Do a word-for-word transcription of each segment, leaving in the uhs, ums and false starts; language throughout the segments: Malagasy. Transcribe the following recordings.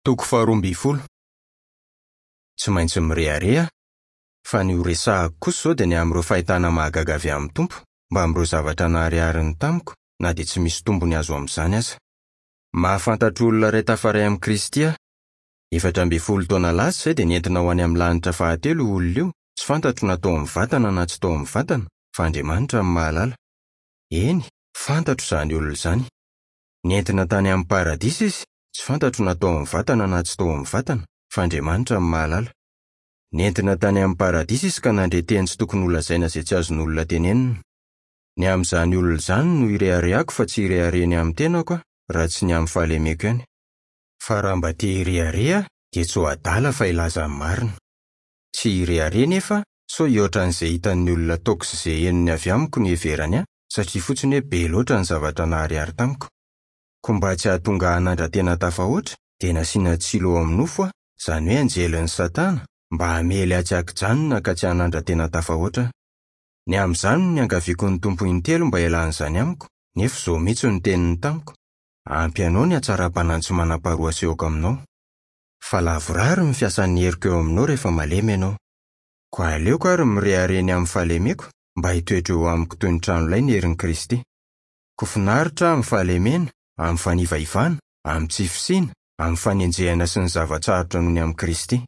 Toko faharoa ambin'ny folo. Tsy maintsy mirehareha, fa ny ho resahako kosa izao dia ny amin'ireo fahitana mahagaga avy amin'ny Tompo, mbamin'ireo zavatra naharihariny tamiko, na dia tsy misy tombony azo amin'izany aza. Mahafantatra olona iray tafaray amin'i Kristy aho. Efatra ambin'ny folo taona lasa izay dia nentina ho any amin'ny lanitra fahatelo io olona io, tsy fantatro na tao amin'ny vatana na tsy tao amin'ny vatana, fa Andriamanitra no mahalala. Eny, fantatro izany olona izany. Nentina tany amin'ny paradisa izy, tsy fantatro na tao amin'ny vatana na tsy tao amin'ny vatana, fa Andriamanitra no mahalala. Nentina tany amin'ny paradisa izy ka nandre teny tsy tokony holazaina izay tsy azon'olona tenenina. Ny amin'izany olona izany no ireharehako fa tsy irehareha ny amin'ny tenako aho, raha tsy ny amin'ny fahalemeko ihany. Fa raha mba te hirehareha aho, dia tsy ho adala fa hilaza ny marina. Tsy hirehareha nefa sao hihoatra an'izay hitan'ny olona ataoko sy izay henony avy amiko no hiheverany ahy, satria fotsiny hoe be loatra ny zavatra naharihary tamiko. Koa mba tsy hahatonga ahy hanandra-tena tafahoatra, dia nasiana tsilo ao amin'ny nofo aho, izany hoe anjelin'i Satana, mba hamely ahy tsy an-kijanona ka tsy hanandra-tena tafahoatra aho. Ny amin'izany no niangaviako ny Tompo intelo mba hialan'izany amiko, nefa izao mihitsy no teniny tamiko: ampy anao ny hatsaram-panahy tsy manam-paharoa asehoko aminao. Fa lavorary ny fiasan'ny heriko eo aminao rehefa malemy ianao. Koa aleoko ary mirehareha ny amin'ny fahalemeko, mba hitoetra eo amiko toy ny tranolay ny herin'i Kristy. Koa finaritra aho amin'ny fahalemena, amin'ny fanivaivana, amin'ny tsy fisiana, amin'ny fanenjehana sy ny zava-tsarotra noho ny amin'i Kristy.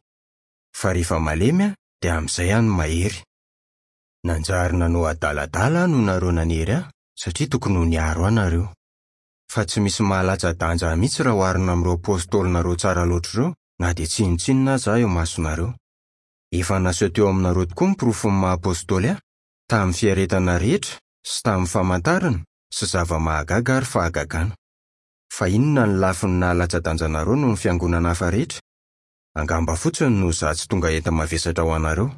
Fa rehefa malemy aho, dia amin'izay aho no mahery. Nanjary nanao adaladala aho noho nareo nanery ahy, satria tokony ho niaro ahy nareo. Fa tsy misy mahalatsa-danja ahy mihitsy raha oharina amin'ireo apôstôlinareo tsara loatra ireo, na dia tsinontsinona aza aho eo imasonareo. Efa naseho teo aminareo tokoa ny porofon'ny maha apôstôly ahy, tamin'ny fiaretana rehetra sy tamin'ny famantarana sy zava-mahagaga ary fahagagana. Fa inona ny lafiny nahalatsa-danja anareo noho ny fiangonana hafa rehetra? Angamba fotsiny noho izaho tsy tonga enta-mavesatra ho anareo.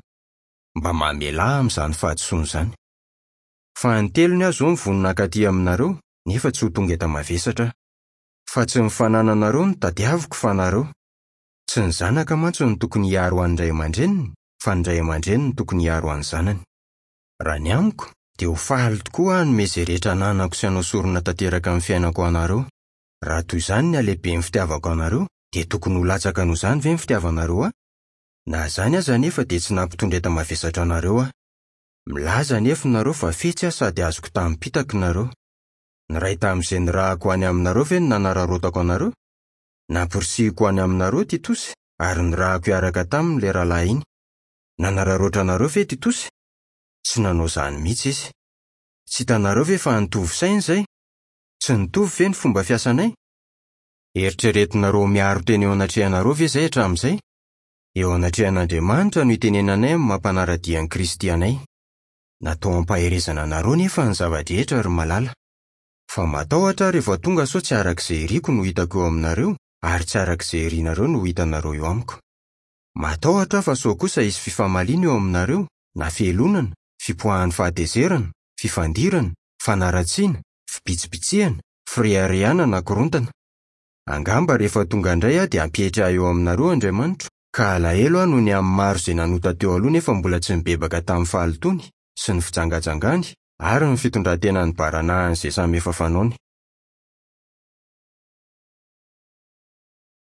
Mba mamelà ahy amin'izany fahadisoana izany. Fa ny telony aho izao mivonona hankaty aminareo, nefa tsy ho tonga enta-mavesatra aho. Fa tsy ny fanananareo no tadiaviko fa nareo. Tsy ny zanaka mantsy no tokony hiaro an'ny ray aman-dreniny, fa ny ray aman-dreny no tokony hiaro an'ny zanany. Raha ny amiko, dia ho faly tokoa aho hanome izay rehetra ananako sy hanao sorona tanteraka amin'ny fiainako ho anareo. Raha toy izany ny halehiben'ny fitiavako anareo, dia tokony ho latsaka noho izany ve ny fitiavanareo ahy? Na izany aza anefa dia tsy nampitondra enta-mavesatra anareo aho. Milaza anefa nareo fa fetsy aho sady azoko tamim-pitaka nareo. Niray tamin'izay nirahako any aminareo ve no nanararaotako anareo? Nampirisihiko any aminareo Titosy ary nirahako hiaraka taminy ilay rahalahy iny. Nanararaotra anareo ve Titosy? Tsy nanao izany mihitsy izy. Tsy hitanareo ve fa nitovy saina izay? Tsy nitovy ve ny fomba fiasanay? Eritreretinareo miaro tena eo anatrehanareo ve izay hatramin'izay? Eo anatrehan'Andriamanitra no itenenanay amin'ny mampanara-dia an'i Kristy anay. Natao hampaherezana anareo nefa ny zava-drehetra ry malala. Fa matahotra aho rehefa tonga sao tsy araka izay iriko no hitako eo aminareo, ary tsy araka izay irinareo no hitanareo eo amiko. Matahotra aho fa sao kosa hisy fifamaliana eo aminareo, na fialonana, fipoahan'ny fahatezerana, fifandirana, fanaratsiana, fibitsibitsihana, fireharehana na korontana. Angamba rehefa tonga indray aho dia hampietry ahy eo aminareo Andriamanitro, ka alahelo aho noho ny amin'ny maro izay nanota teo aloha nefa mbola tsy nibebaka tamin'ny fahalotoany sy ny fijangajangany ary ny fitondran-tenany baranahany izay samy efa fanaony.